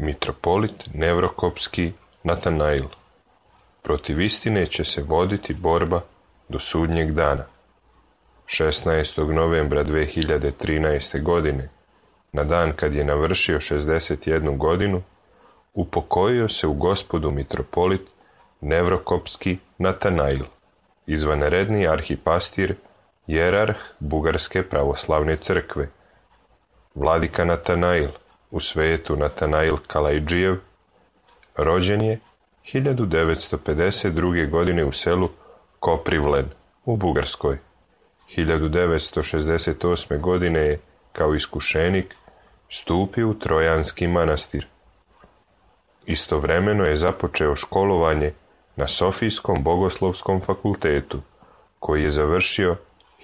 Mitropolit Nevrokopski Natanail. Protiv istine će se voditi borba do sudnjeg dana. 16. novembra 2013. godine, na dan kad je navršio 61 godinu, upokojio se u Gospodu mitropolit Nevrokopski Natanail, izvanredni arhipastir, jerarh Bugarske pravoslavne crkve. Vladika Natanail, u svetu Natanail Kalajdžijev, rođen je 1952. godine u selu Koprivlen u Bugarskoj. 1968. godine je kao iskušenik stupio u Trojanski manastir. Istovremeno je započeo školovanje na Sofijskom bogoslovskom fakultetu, koji je završio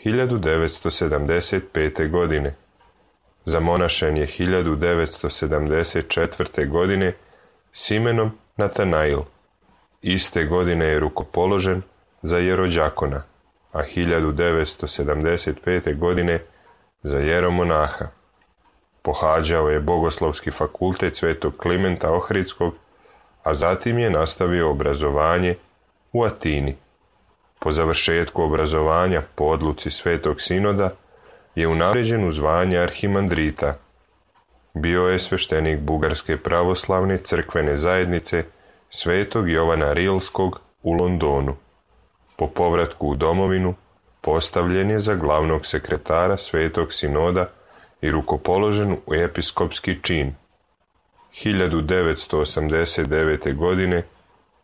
1975. godine. Zamonašen je 1974. godine s imenom Natanail. Iste godine je rukopoložen za jerođakona, a 1975. godine za jeromonaha. Pohađao je Bogoslovski fakultet Svetog Klimenta Ohridskog, a zatim je nastavio obrazovanje u Atini. Po završetku obrazovanja po odluci Svetog Sinoda je unapređen u zvanje arhimandrita. Bio je sveštenik Bugarske pravoslavne crkvene zajednice Svetog Jovana Rilskog u Londonu. Po povratku u domovinu postavljen je za glavnog sekretara Svetog Sinoda i rukopoložen u episkopski čin. 1989. godine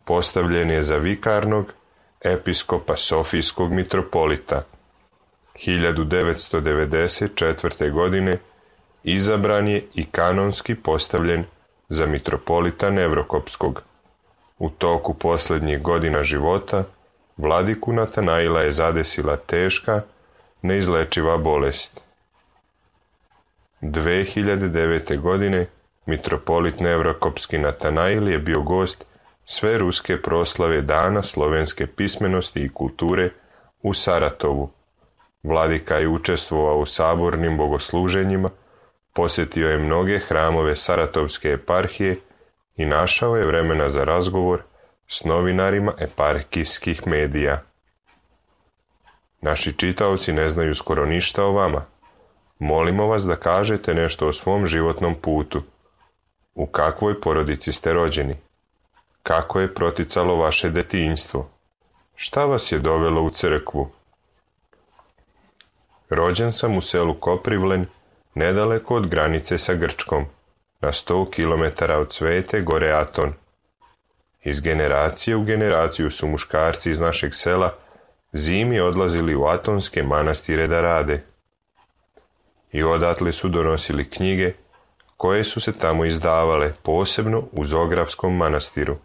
postavljen je za vikarnog episkopa Sofijskog mitropolita. 1994. godine izabran je i kanonski postavljen za mitropolita Nevrokopskog. U toku posljednjih godina života vladiku Natanaila je zadesila teška, neizlečiva bolest. 2009. godine mitropolit Nevrokopski Natanail je bio gost sve ruske proslave Dana slovenske pismenosti i kulture u Saratovu. Vladika je učestvovao u sabornim bogosluženjima, posjetio je mnoge hramove Saratovske eparhije i našao je vremena za razgovor s novinarima eparhijskih medija. Naši čitaoci ne znaju skoro ništa o vama. Molimo vas da kažete nešto o svom životnom putu. U kakvoj porodici ste rođeni? Kako je proticalo vaše detinjstvo? Šta vas je dovelo u crkvu? Rođen sam u selu Koprivlen, nedaleko od granice sa Grčkom, na 100 km od Svete gore Aton. Iz generacije u generaciju su muškarci iz našeg sela zimi odlazili u atonske manastire da rade. I odatle su donosili knjige koje su se tamo izdavale, posebno u Zografskom manastiru.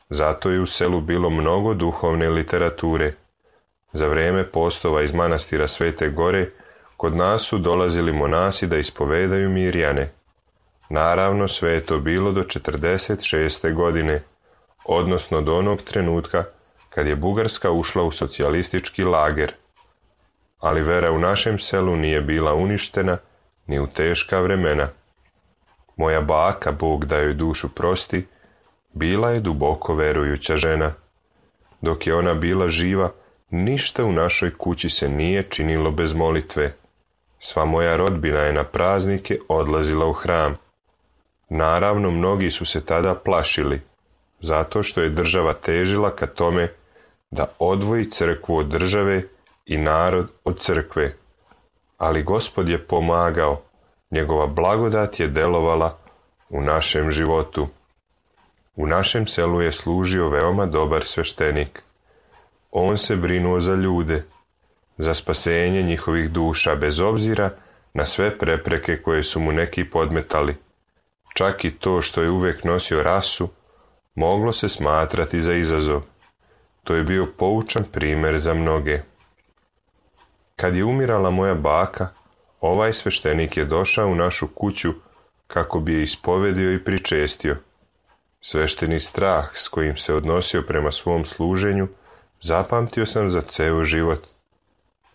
Zato je u selu bilo mnogo duhovne literature. Za vrijeme postova iz manastira Svete Gore kod nas su dolazili monasi da ispovedaju mirjane. Naravno, sve je to bilo do 46. godine, odnosno do onog trenutka kad je Bugarska ušla u socijalistički lager. Ali vera u našem selu nije bila uništena ni u teška vremena. Moja baka, Bog da joj dušu prosti, bila je duboko verujuća žena. Dok je ona bila živa, ništa u našoj kući se nije činilo bez molitve. Sva moja rodbina je na praznike odlazila u hram. Naravno, mnogi su se tada plašili, zato što je država težila ka tome da odvoji crkvu od države i narod od crkve. Ali Gospod je pomagao, njegova blagodat je delovala u našem životu. U našem selu je služio veoma dobar sveštenik. On se brinuo za ljude, za spasenje njihovih duša, bez obzira na sve prepreke koje su mu neki podmetali. Čak i to što je uvijek nosio rasu, moglo se smatrati za izazov. To je bio poučan primjer za mnoge. Kad je umirala moja baka, ovaj sveštenik je došao u našu kuću kako bi je ispovedio i pričestio. Svešteni strah s kojim se odnosio prema svom služenju zapamtio sam za ceo život.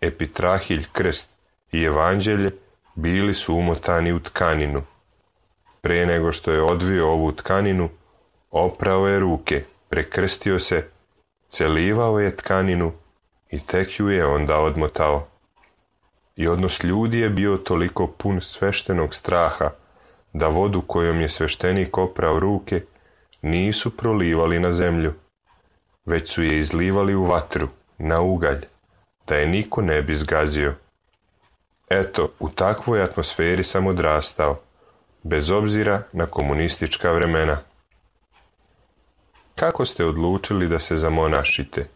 Epitrahilj, krst i evanđelje bili su umotani u tkaninu. Prije nego što je odvio ovu tkaninu, oprao je ruke, prekrstio se, celivao je tkaninu i tek ju je onda odmotao. I odnos ljudi je bio toliko pun sveštenog straha, da vodu kojom je sveštenik oprao ruke nisu prolivali na zemlju, već su je izlivali u vatru, na ugalj, da je niko ne bi zgazio. Eto, u takvoj atmosferi sam odrastao, bez obzira na komunistička vremena. Kako ste odlučili da se zamonašite?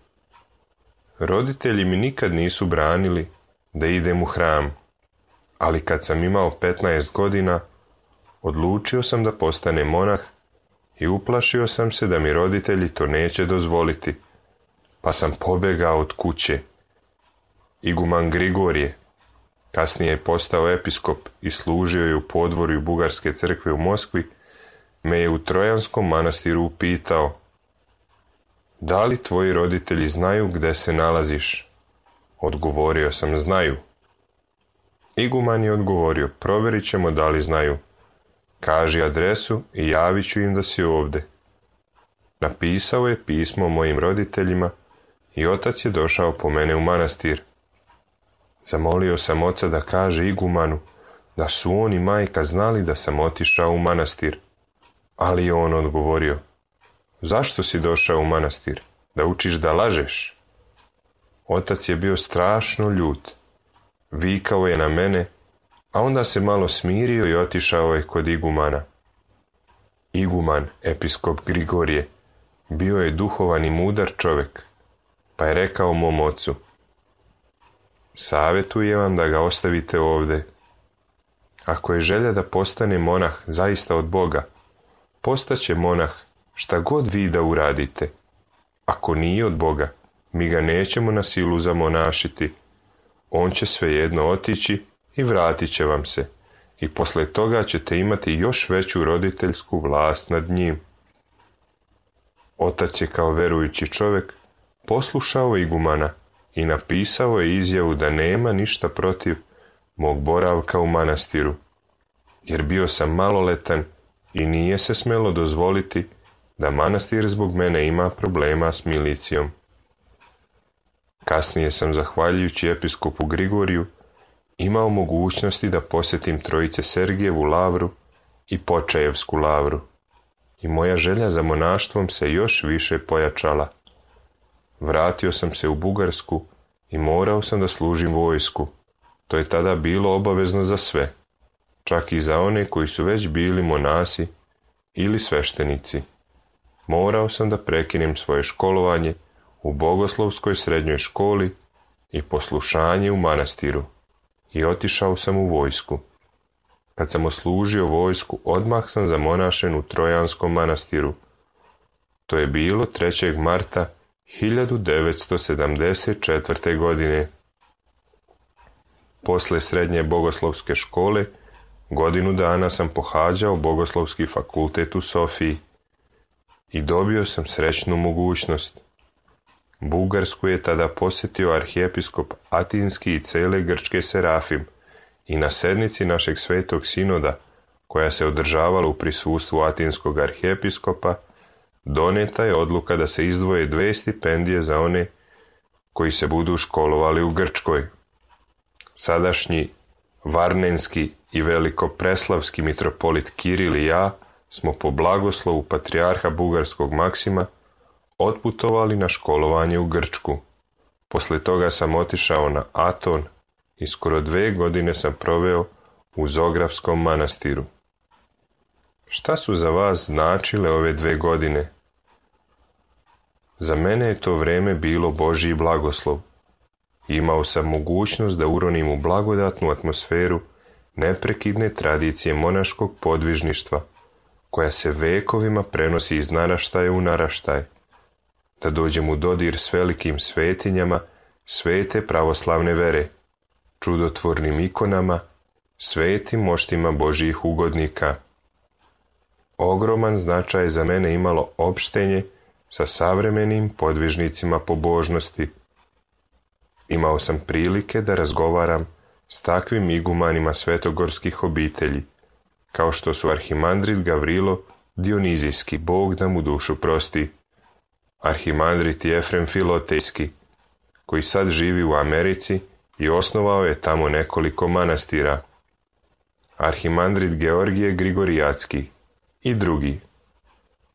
Roditelji mi nikad nisu branili da idem u hram, ali kad sam imao 15 godina, odlučio sam da postanem monah i uplašio sam se da mi roditelji to neće dozvoliti, pa sam pobegao od kuće. Iguman Grigorije, kasnije je postao episkop i služio je u podvorju Bugarske crkve u Moskvi, me je u Trojanskom manastiru upitao: da li tvoji roditelji znaju gde se nalaziš? Odgovorio sam: znaju. Iguman je odgovorio: provjerit ćemo da li znaju. Kaži adresu i javit ću im da si ovde. Napisao je pismo mojim roditeljima i otac je došao po mene u manastir. Zamolio sam oca da kaže igumanu da su on i majka znali da sam otišao u manastir, ali je on odgovorio: zašto si došao u manastir? Da učiš da lažeš? Otac je bio strašno ljut. Vikao je na mene, a onda se malo smirio i otišao je kod igumana. Iguman, episkop Grigorije, bio je duhovan i mudar čovjek, pa je rekao mom ocu: savjetujem vam da ga ostavite ovde. Ako je želja da postane monah zaista od Boga, postaće monah šta god vi da uradite. Ako nije od Boga, mi ga nećemo na silu zamonašiti. On će svejedno otići i vratit će vam se, i posle toga ćete imati još veću roditeljsku vlast nad njim. Otac je kao verujući čovjek poslušao igumana i napisao je izjavu da nema ništa protiv mog boravka u manastiru, jer bio sam maloletan i nije se smelo dozvoliti da manastir zbog mene ima problema s milicijom. Kasnije sam, zahvaljujući episkopu Grigoriju, imao mogućnosti da posjetim Trojice Sergijevu lavru i Počajevsku lavru, i moja želja za monaštvom se još više pojačala. Vratio sam se u Bugarsku i morao sam da služim vojsku. To je tada bilo obavezno za sve, čak i za one koji su već bili monasi ili sveštenici. Morao sam da prekinem svoje školovanje u Bogoslovskoj srednjoj školi i poslušanje u manastiru, i otišao sam u vojsku. Kad sam oslužio vojsku, odmah sam zamonašen u Trojanskom manastiru. To je bilo 3. marta 1974. godine. Posle srednje bogoslovske škole, godinu dana sam pohađao Bogoslovski fakultet u Sofiji i dobio sam srećnu mogućnost. Bugarsku je tada posjetio arhijepiskop Atinski i cele Grčke Serafim, i na sednici našeg svetog sinoda, koja se održavala u prisustvu atinskog arhijepiskopa, doneta je odluka da se izdvoje 2 stipendije za one koji se budu školovali u Grčkoj. Sadašnji Varnenski i velikopreslavski mitropolit Kiril i ja smo po blagoslovu patrijarha bugarskog Maksima otputovali na školovanje u Grčku. Posle toga sam otišao na Aton i skoro 2 godine sam proveo u Zografskom manastiru. Šta su za vas značile ove 2 godine? Za mene je to vreme bilo Božji blagoslov. Imao sam mogućnost da uronim u blagodatnu atmosferu neprekidne tradicije monaškog podvižništva, koja se vekovima prenosi iz naraštaja u naraštaj, da dođem u dodir s velikim svetinjama svete pravoslavne vere, čudotvornim ikonama, svetim moštima Božjih ugodnika. Ogroman značaj za mene imalo opštenje sa savremenim podvižnicima pobožnosti. Imao sam prilike da razgovaram s takvim igumanima svetogorskih obitelji, kao što su arhimandrit Gavrilo Dionizijski, Bog da mu dušu prosti, arhimandrit Jefrem Filotejski, koji sad živi u Americi i osnovao je tamo nekoliko manastira, arhimandrit Georgije Grigorijatski i drugi.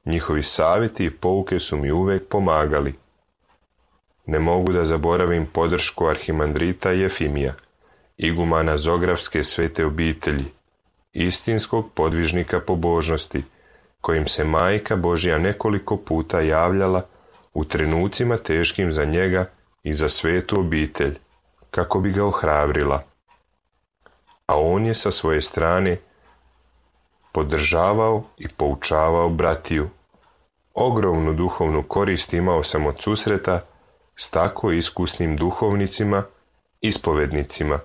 Njihovi savjeti i pouke su mi uvijek pomagali. Ne mogu da zaboravim podršku arhimandrita Jefimija, igumana Zografske svete obitelji, istinskog podvižnika pobožnosti, kojim se Majka Božja nekoliko puta javljala u trenucima teškim za njega i za svetu obitelj, kako bi ga ohrabrila. A on je sa svoje strane podržavao i poučavao bratiju. Ogromnu duhovnu korist imao sam od susreta s tako iskusnim duhovnicima, ispovednicima,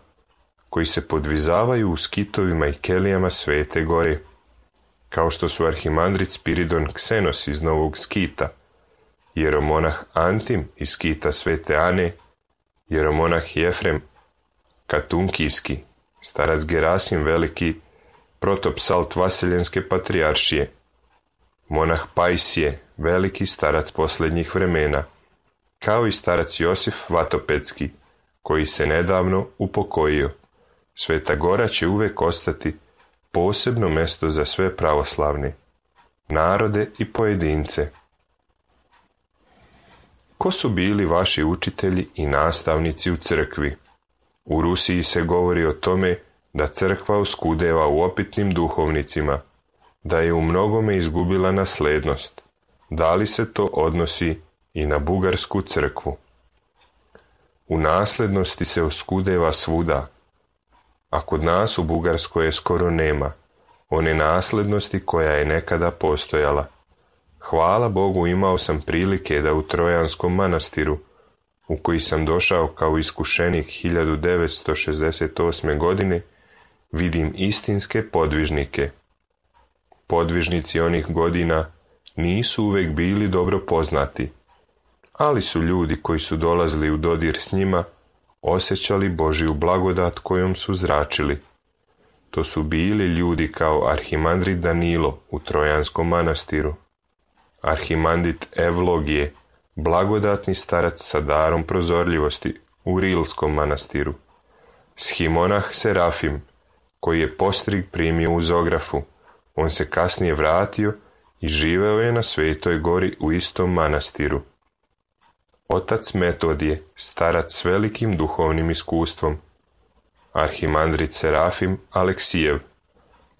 koji se podvizavaju u skitovima i kelijama Svete Gore, kao što su arhimandrit Spiridon Ksenos iz Novog Skita, jeromonah Antim iz Skita Svete Ane, jeromonah Jefrem Katunkijski, starac Gerasim Veliki, protopsalt Vaseljenske patrijaršije, monah Pajsije, veliki starac posljednjih vremena, kao i starac Josif Vatopedski, koji se nedavno upokojio. Sveta Gora će uvijek ostati posebno mjesto za sve pravoslavne, narode i pojedince. Ko su bili vaši učitelji i nastavnici u crkvi? U Rusiji se govori o tome da crkva oskudeva u opitnim duhovnicima, da je u mnogome izgubila naslednost. Da li se to odnosi i na bugarsku crkvu? U naslednosti se oskudeva svuda, a kod nas u Bugarskoj je skoro nema one naslednosti koja je nekada postojala. Hvala Bogu, imao sam prilike da u Trojanskom manastiru, u koji sam došao kao iskušenik 1968. godine, vidim istinske podvižnike. Podvižnici onih godina nisu uvijek bili dobro poznati, ali su ljudi koji su dolazili u dodir s njima osjećali Božju blagodat kojom su zračili. To su bili ljudi kao arhimandrit Danilo u Trojanskom manastiru, arhimandrit Evlogije, blagodatni starac sa darom prozorljivosti u Rilskom manastiru, schimonah Serafim, koji je postrig primio u Zografu. On se kasnije vratio i živeo je na Svetoj Gori u istom manastiru. Otac Metodije, starac s velikim duhovnim iskustvom, arhimandrit Serafim Aleksijev,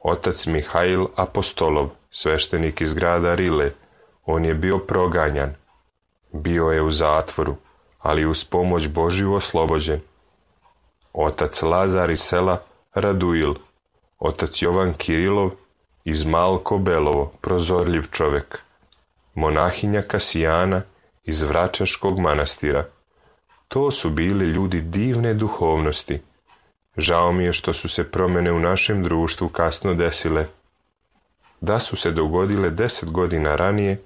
otac Mihail Apostolov, sveštenik iz grada Rile. On je bio proganjan, bio je u zatvoru, ali uz pomoć Božju oslobođen. Otac Lazar iz sela Raduil, otac Jovan Kirilov iz Malko Belovo, prozorljiv čovjek, monahinja Kasijana iz Vračaškog manastira. To su bili ljudi divne duhovnosti. Žao mi je što su se promjene u našem društvu kasno desile. Da su se dogodile 10 godina ranije,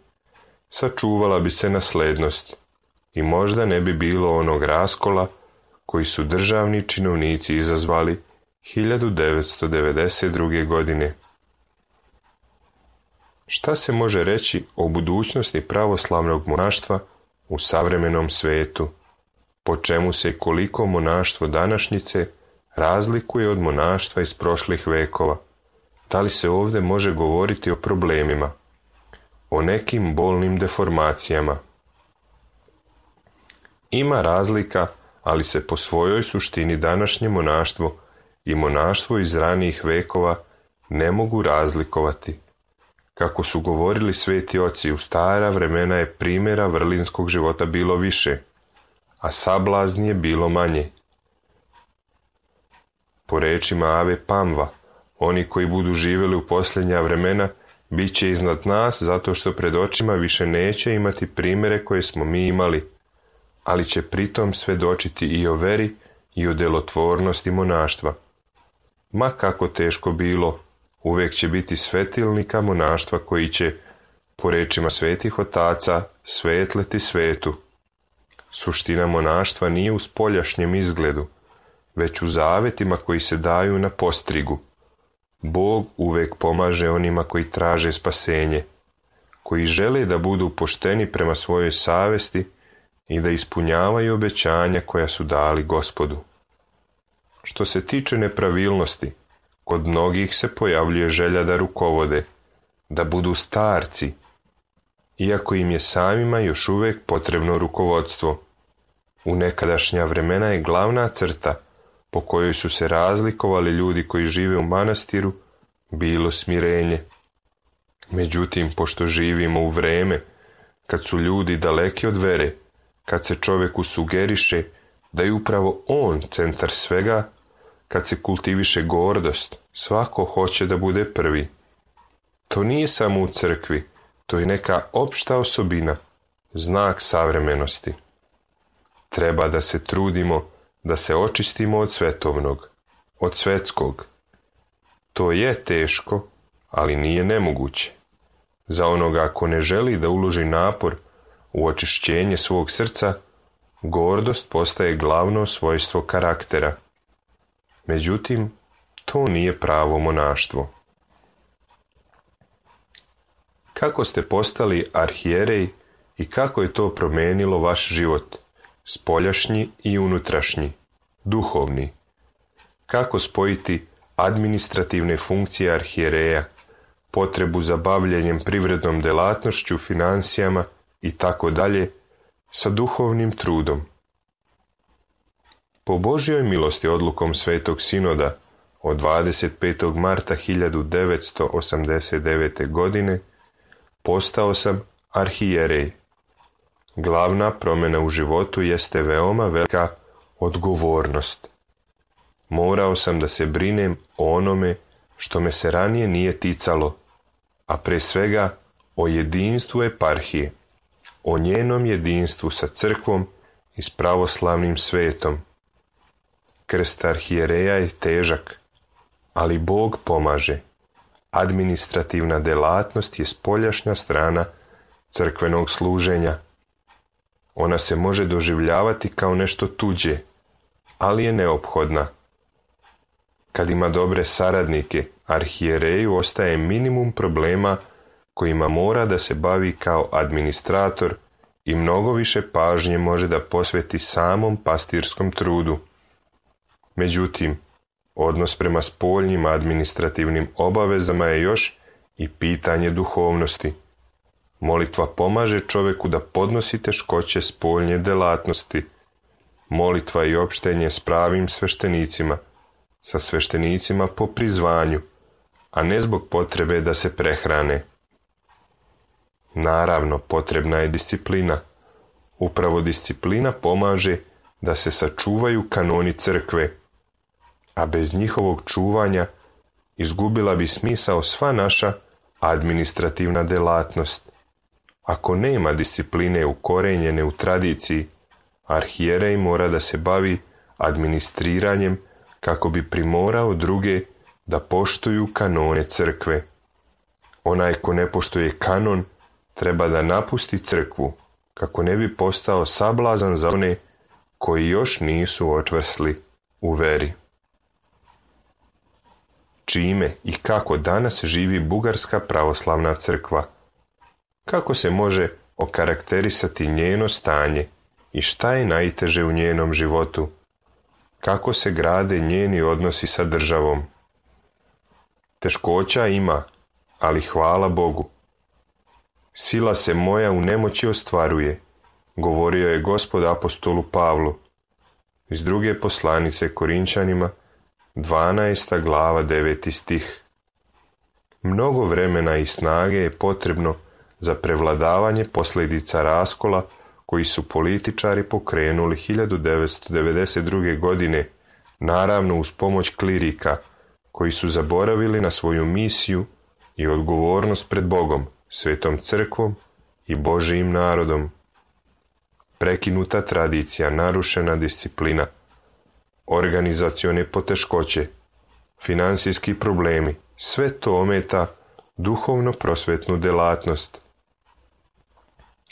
sačuvala bi se naslednost i možda ne bi bilo onog raskola koji su državni činovnici izazvali 1992. godine. Šta se može reći o budućnosti pravoslavnog monaštva u savremenom svetu? Po čemu se i koliko monaštvo današnjice razlikuje od monaštva iz prošlih vekova? Da li se ovdje može govoriti o problemima, o nekim bolnim deformacijama? Ima razlika, ali se po svojoj suštini današnje monaštvo i monaštvo iz ranijih vekova ne mogu razlikovati. Kako su govorili sveti oci, u stara vremena je primjera vrlinskog života bilo više, a sablazni je bilo manje. Po rečima Ave Pamva, oni koji budu živjeli u posljednja vremena bit će iznad nas zato što pred očima više neće imati primjere koje smo mi imali, ali će pritom svjedočiti i o veri i o delotvornosti monaštva. Ma kako teško bilo, uvijek će biti svetilnika monaštva koji će, po rečima svetih otaca, svetleti svetu. Suština monaštva nije u spoljašnjem izgledu, već u zavetima koji se daju na postrigu. Bog uvek pomaže onima koji traže spasenje, koji žele da budu pošteni prema svojoj savesti i da ispunjavaju obećanja koja su dali Gospodu. Što se tiče nepravilnosti, kod mnogih se pojavljuje želja da rukovode, da budu starci, iako im je samima još uvek potrebno rukovodstvo. U nekadašnja vremena je glavna crta po kojoj su se razlikovali ljudi koji žive u manastiru bilo smirenje. Međutim, pošto živimo u vreme kad su ljudi daleki od vere, kad se čoveku sugeriše da je upravo on centar svega, kad se kultiviše gordost, svako hoće da bude prvi. To nije samo u crkvi, to je neka opšta osobina, znak savremenosti. Treba da se trudimo da se očistimo od svetovnog, od svetskog. To je teško, ali nije nemoguće. Za onoga ko ne želi da uloži napor u očišćenje svog srca, gordost postaje glavno svojstvo karaktera. Međutim, to nije pravo monaštvo. Kako ste postali arhijerej i kako je to promenilo vaš život, spoljašnji i unutrašnji, duhovni? Kako spojiti administrativne funkcije arhijereja, potrebu za bavljenjem privrednom delatnošću, financijama i tako dalje, sa duhovnim trudom? Po Božjoj milosti odlukom Svetog Sinoda od 25. marta 1989. godine postao sam arhijerej. Glavna promjena u životu jeste veoma velika odgovornost. Morao sam da se brinem o onome što me se ranije nije ticalo, a pre svega o jedinstvu eparhije, o njenom jedinstvu sa crkvom i s pravoslavnim svetom. Krst arhijereja je težak, ali Bog pomaže. Administrativna delatnost je spoljašnja strana crkvenog služenja. Ona se može doživljavati kao nešto tuđe, ali je neophodna. Kad ima dobre saradnike, arhijereju ostaje minimum problema kojima mora da se bavi kao administrator i mnogo više pažnje može da posveti samom pastirskom trudu. Međutim, odnos prema spoljnim administrativnim obavezama je još i pitanje duhovnosti. Molitva pomaže čoveku da podnosi teškoće spoljnje delatnosti. Molitva i opštenje s pravim sveštenicima, sa sveštenicima po prizvanju, a ne zbog potrebe da se prehrane. Naravno, potrebna je disciplina. Upravo disciplina pomaže da se sačuvaju kanoni crkve, a bez njihovog čuvanja izgubila bi smisao sva naša administrativna delatnost. Ako nema discipline ukorenjene u tradiciji, arhijerej mora da se bavi administriranjem kako bi primorao druge da poštuju kanone crkve. Onaj ko ne poštuje kanon treba da napusti crkvu kako ne bi postao sablazan za one koji još nisu očvrsli u veri. Čime i kako danas živi Bugarska pravoslavna crkva? Kako se može okarakterisati njeno stanje i šta je najteže u njenom životu? Kako se grade njeni odnosi sa državom? Teškoća ima, ali hvala Bogu. Sila se moja u nemoći ostvaruje, govorio je Gospod apostolu Pavlu. Iz druge poslanice Korinčanima, 12. glava 9. stih. Mnogo vremena i snage je potrebno za prevladavanje posljedica raskola koji su političari pokrenuli 1992. godine, naravno uz pomoć klirika, koji su zaboravili na svoju misiju i odgovornost pred Bogom, Svetom crkvom i Božijim narodom. Prekinuta tradicija, narušena disciplina, organizacione poteškoće, finansijski problemi, sve to ometa duhovno-prosvetnu delatnost.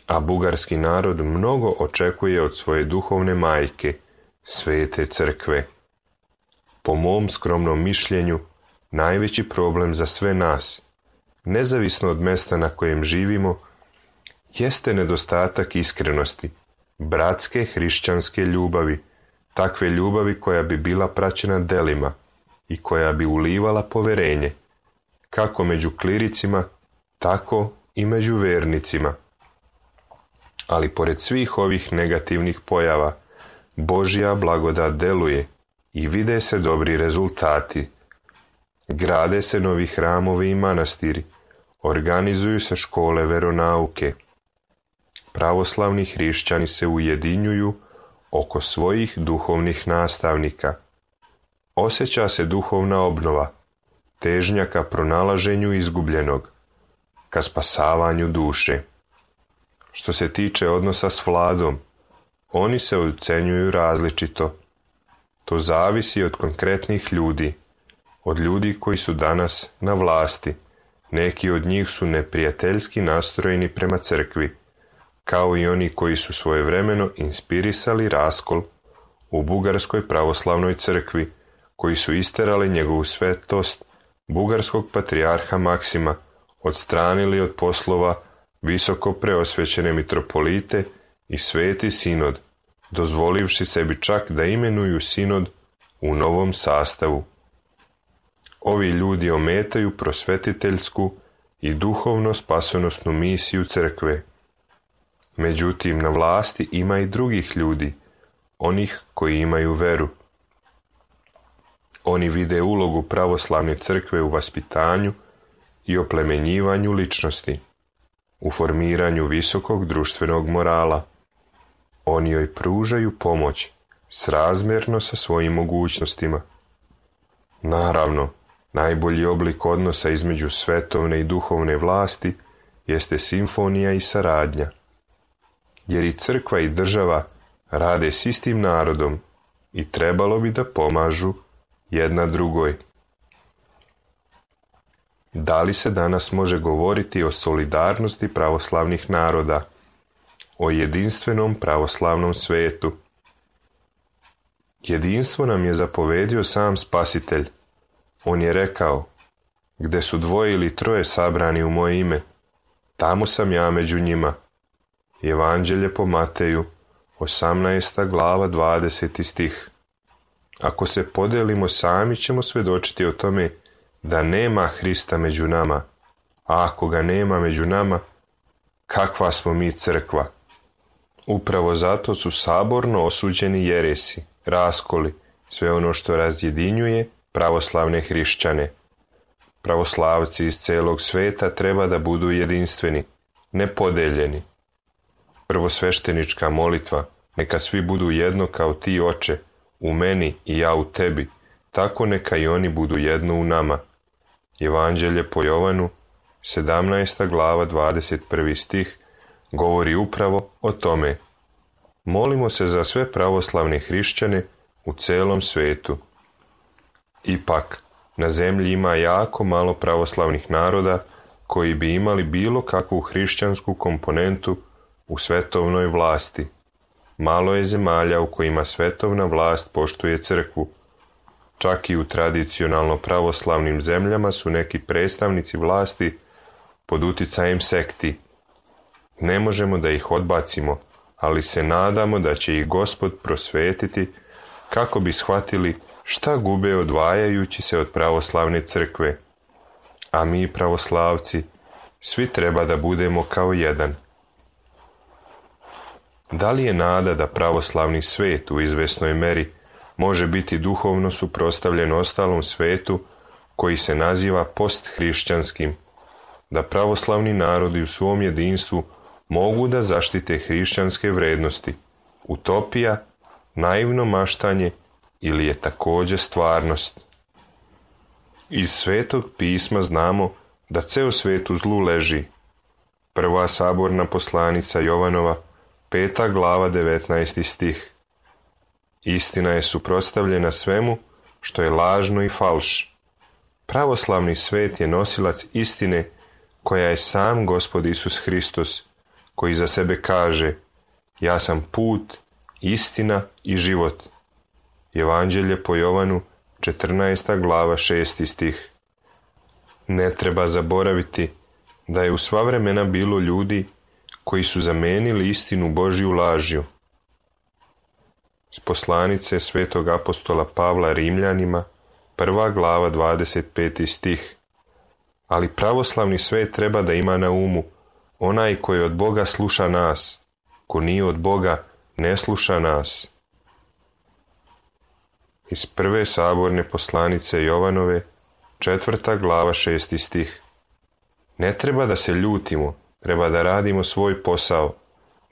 A bugarski narod mnogo očekuje od svoje duhovne majke, Svete crkve. Po mom skromnom mišljenju, najveći problem za sve nas, nezavisno od mjesta na kojem živimo, jeste nedostatak iskrenosti, bratske hrišćanske ljubavi, takve ljubavi koja bi bila praćena delima i koja bi ulivala poverenje, kako među kliricima, tako i među vernicima. Ali pored svih ovih negativnih pojava, Božja blagodat deluje i vide se dobri rezultati. Grade se novi hramovi i manastiri, organizuju se škole veronauke. Pravoslavni hrišćani se ujedinjuju oko svojih duhovnih nastavnika. Osjeća se duhovna obnova, težnja ka pronalaženju izgubljenog, ka spasavanju duše. Što se tiče odnosa s vladom, oni se ocenjuju različito. To zavisi od konkretnih ljudi, od ljudi koji su danas na vlasti. Neki od njih su neprijateljski nastrojeni prema crkvi, kao i oni koji su svojevremeno inspirisali raskol u Bugarskoj pravoslavnoj crkvi, koji su isterali njegovu svetost, bugarskog patrijarha Maksima, odstranili od poslova visoko preosvećene mitropolite i sveti sinod, dozvolivši sebi čak da imenuju sinod u novom sastavu. Ovi ljudi ometaju prosvetiteljsku i duhovno spasonosnu misiju crkve. Međutim, na vlasti ima i drugih ljudi, onih koji imaju veru. Oni vide ulogu pravoslavne crkve u vaspitanju i oplemenjivanju ličnosti, u formiranju visokog društvenog morala. Oni joj pružaju pomoć srazmjerno sa svojim mogućnostima. Naravno, najbolji oblik odnosa između svetovne i duhovne vlasti jeste simfonija i saradnja, jer i crkva i država rade s istim narodom i trebalo bi da pomažu jedna drugoj. Da li se danas može govoriti o solidarnosti pravoslavnih naroda, o jedinstvenom pravoslavnom svetu? Jedinstvo nam je zapovedio sam Spasitelj. On je rekao: gde su 2 ili 3 sabrani u moje ime, tamo sam ja među njima. Evanđelje po Mateju, 18. glava, 20. stih. Ako se podelimo, sami ćemo svjedočiti o tome da nema Hrista među nama, a ako ga nema među nama, kakva smo mi crkva? Upravo zato su saborno osuđeni jeresi, raskoli, sve ono što razjedinjuje pravoslavne hrišćane. Pravoslavci iz celog sveta treba da budu jedinstveni, nepodeljeni. Prvosveštenička molitva: neka svi budu jedno kao ti, Oče, u meni i ja u tebi, tako neka i oni budu jedno u nama. Evanđelje po Jovanu, 17. glava, 21. stih, govori upravo o tome. Molimo se za sve pravoslavne hrišćane u celom svetu. Ipak, na zemlji ima jako malo pravoslavnih naroda koji bi imali bilo kakvu hrišćansku komponentu u svetovnoj vlasti. Malo je zemalja u kojima svetovna vlast poštuje crkvu. Čak i u tradicionalno pravoslavnim zemljama su neki predstavnici vlasti pod uticajem sekti. Ne možemo da ih odbacimo, ali se nadamo da će ih Gospod prosvetiti kako bi shvatili šta gube odvajajući se od pravoslavne crkve. A mi, pravoslavci, svi treba da budemo kao jedan. Da li je nada da pravoslavni svet u izvesnoj meri može biti duhovno suprotstavljen ostalom svetu koji se naziva posthrišćanskim, da pravoslavni narodi u svom jedinstvu mogu da zaštite hrišćanske vrednosti, utopija, naivno maštanje ili je također stvarnost? Iz Svetog pisma znamo da ceo svet u zlu leži. Prva saborna poslanica Jovanova, 5. glava, 19. stih. Istina je suprotstavljena svemu što je lažno i falš. Pravoslavni svet je nosilac istine koja je sam Gospod Isus Hristos, koji za sebe kaže: ja sam put, istina i život. Evanđelje po Jovanu, 14. glava, 6. stih. Ne treba zaboraviti da je u sva vremena bilo ljudi koji su zamenili istinu Božju lažju. S poslanice svetog apostola Pavla Rimljanima, 1. glava 25. stih. Ali pravoslavni svet treba da ima na umu: onaj koji od Boga sluša nas, ko nije od Boga ne sluša nas. Iz prve saborne poslanice Jovanove, 4. glava 6. stih. Ne treba da se ljutimo, treba da radimo svoj posao,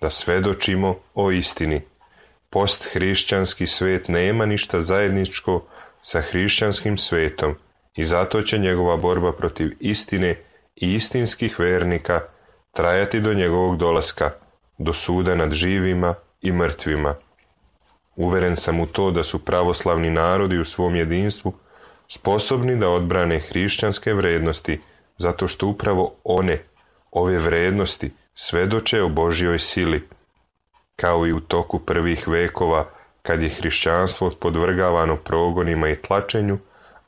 da svedočimo o istini. Posthrišćanski svet nema ništa zajedničko sa hrišćanskim svetom i zato će njegova borba protiv istine i istinskih vernika trajati do njegovog dolaska, do suda nad živima i mrtvima. Uveren sam u to da su pravoslavni narodi u svom jedinstvu sposobni da odbrane hrišćanske vrednosti, zato što upravo ove vrednosti, svedoče o Božjoj sili. Kao i u toku prvih vekova, kad je hrišćanstvo podvrgavano progonima i tlačenju,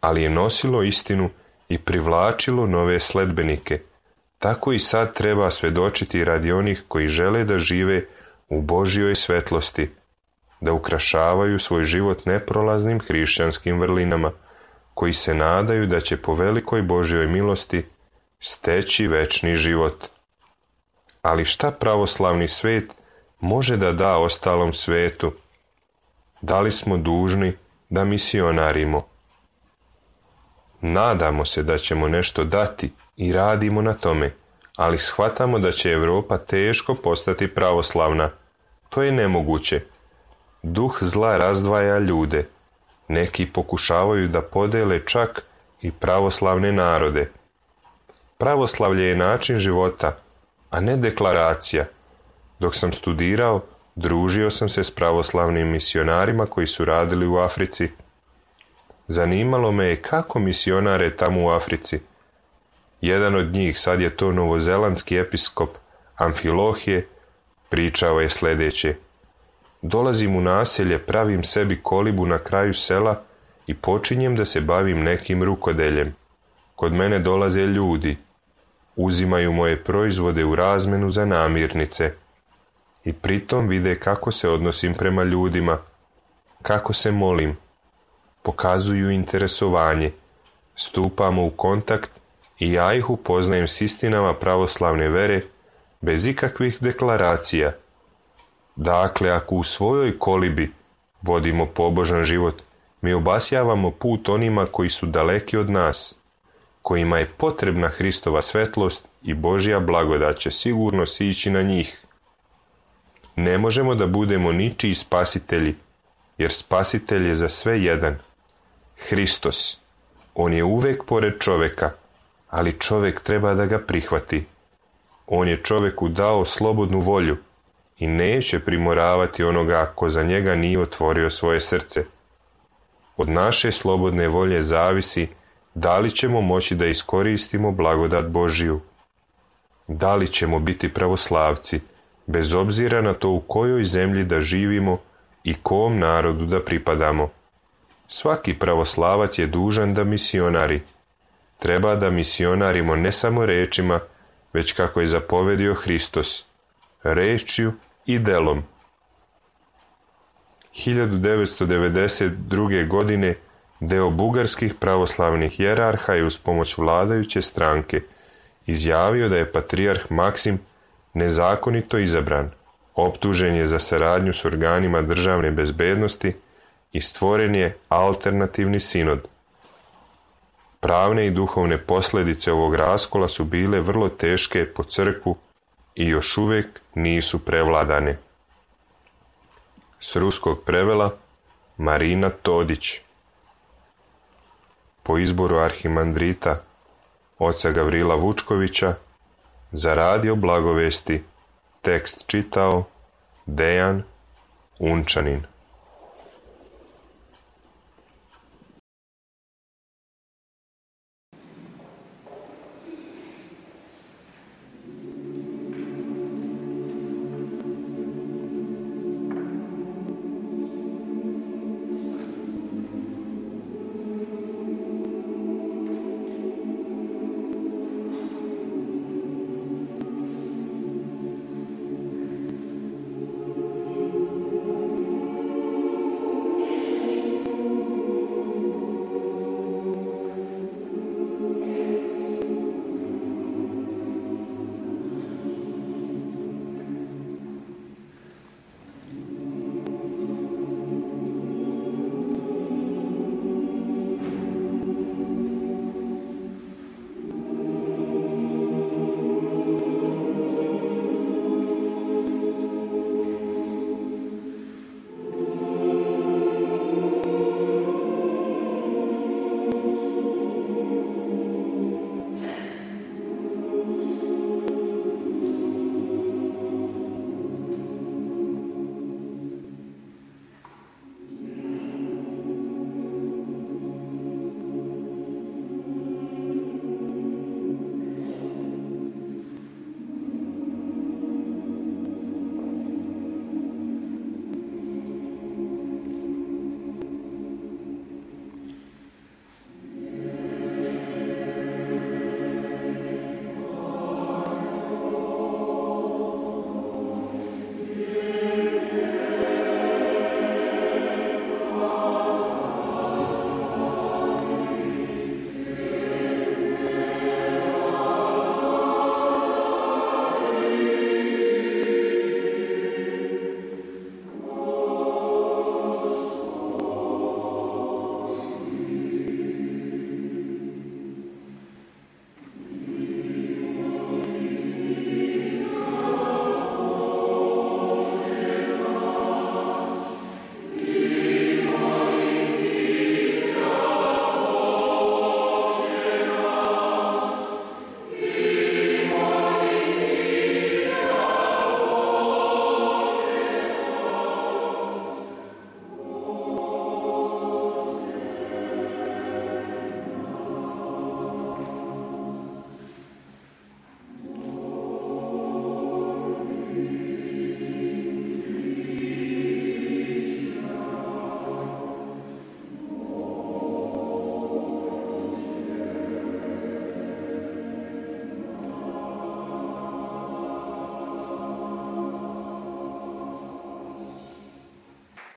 ali je nosilo istinu i privlačilo nove sledbenike, tako i sad treba svedočiti radi onih koji žele da žive u Božjoj svetlosti, da ukrašavaju svoj život neprolaznim hrišćanskim vrlinama, koji se nadaju da će po velikoj Božjoj milosti steći večni život. Ali šta pravoslavni svet može da da ostalom svetu? Da li smo dužni da misionarimo? Nadamo se da ćemo nešto dati i radimo na tome, ali shvatamo da će Evropa teško postati pravoslavna. To je nemoguće. Duh zla razdvaja ljude. Neki pokušavaju da podele čak i pravoslavne narode. Pravoslavlje je način života, a ne deklaracija. Dok sam studirao, družio sam se s pravoslavnim misionarima koji su radili u Africi. Zanimalo me je kako misionare tamo u Africi. Jedan od njih, sad je to novozelandski episkop Amfilohije, pričao je sljedeće: dolazim u naselje, pravim sebi kolibu na kraju sela i počinjem da se bavim nekim rukodeljem. Kod mene dolaze ljudi, uzimaju moje proizvode u razmenu za namirnice i pritom vide kako se odnosim prema ljudima, kako se molim, pokazuju interesovanje, stupamo u kontakt i ja ih upoznajem s istinama pravoslavne vere bez ikakvih deklaracija. Dakle, ako u svojoj kolibi vodimo pobožan život, mi obasjavamo put onima koji su daleki od nas, kojima je potrebna Hristova svetlost i Božja blagodat će sigurno sići na njih. Ne možemo da budemo ničiji spasitelji, jer spasitelj je za sve jedan. Hristos. On je uvek pored čoveka, ali čovek treba da ga prihvati. On je čoveku dao slobodnu volju i neće primoravati onoga ko za njega nije otvorio svoje srce. Od naše slobodne volje zavisi da li ćemo moći da iskoristimo blagodat Božiju. Da li ćemo biti pravoslavci, bez obzira na to u kojoj zemlji da živimo i kom narodu da pripadamo. Svaki pravoslavac je dužan da misionari. Treba da misionarimo ne samo rečima, već kako je zapovedio Hristos, rečju i delom. 1992. godine deo bugarskih pravoslavnih hijerarha je uz pomoć vladajuće stranke izjavio da je patrijarh Maksim nezakonito izabran, optužen je za saradnju s organima državne bezbednosti i stvoren je alternativni sinod. Pravne i duhovne posljedice ovog raskola su bile vrlo teške po crkvu i još uvijek nisu prevladane. S ruskog prevela Marina Todić. Po izboru arhimandrita oca Gavrila Vučkovića za radio Blagovesti tekst čitao Dejan Unčanin.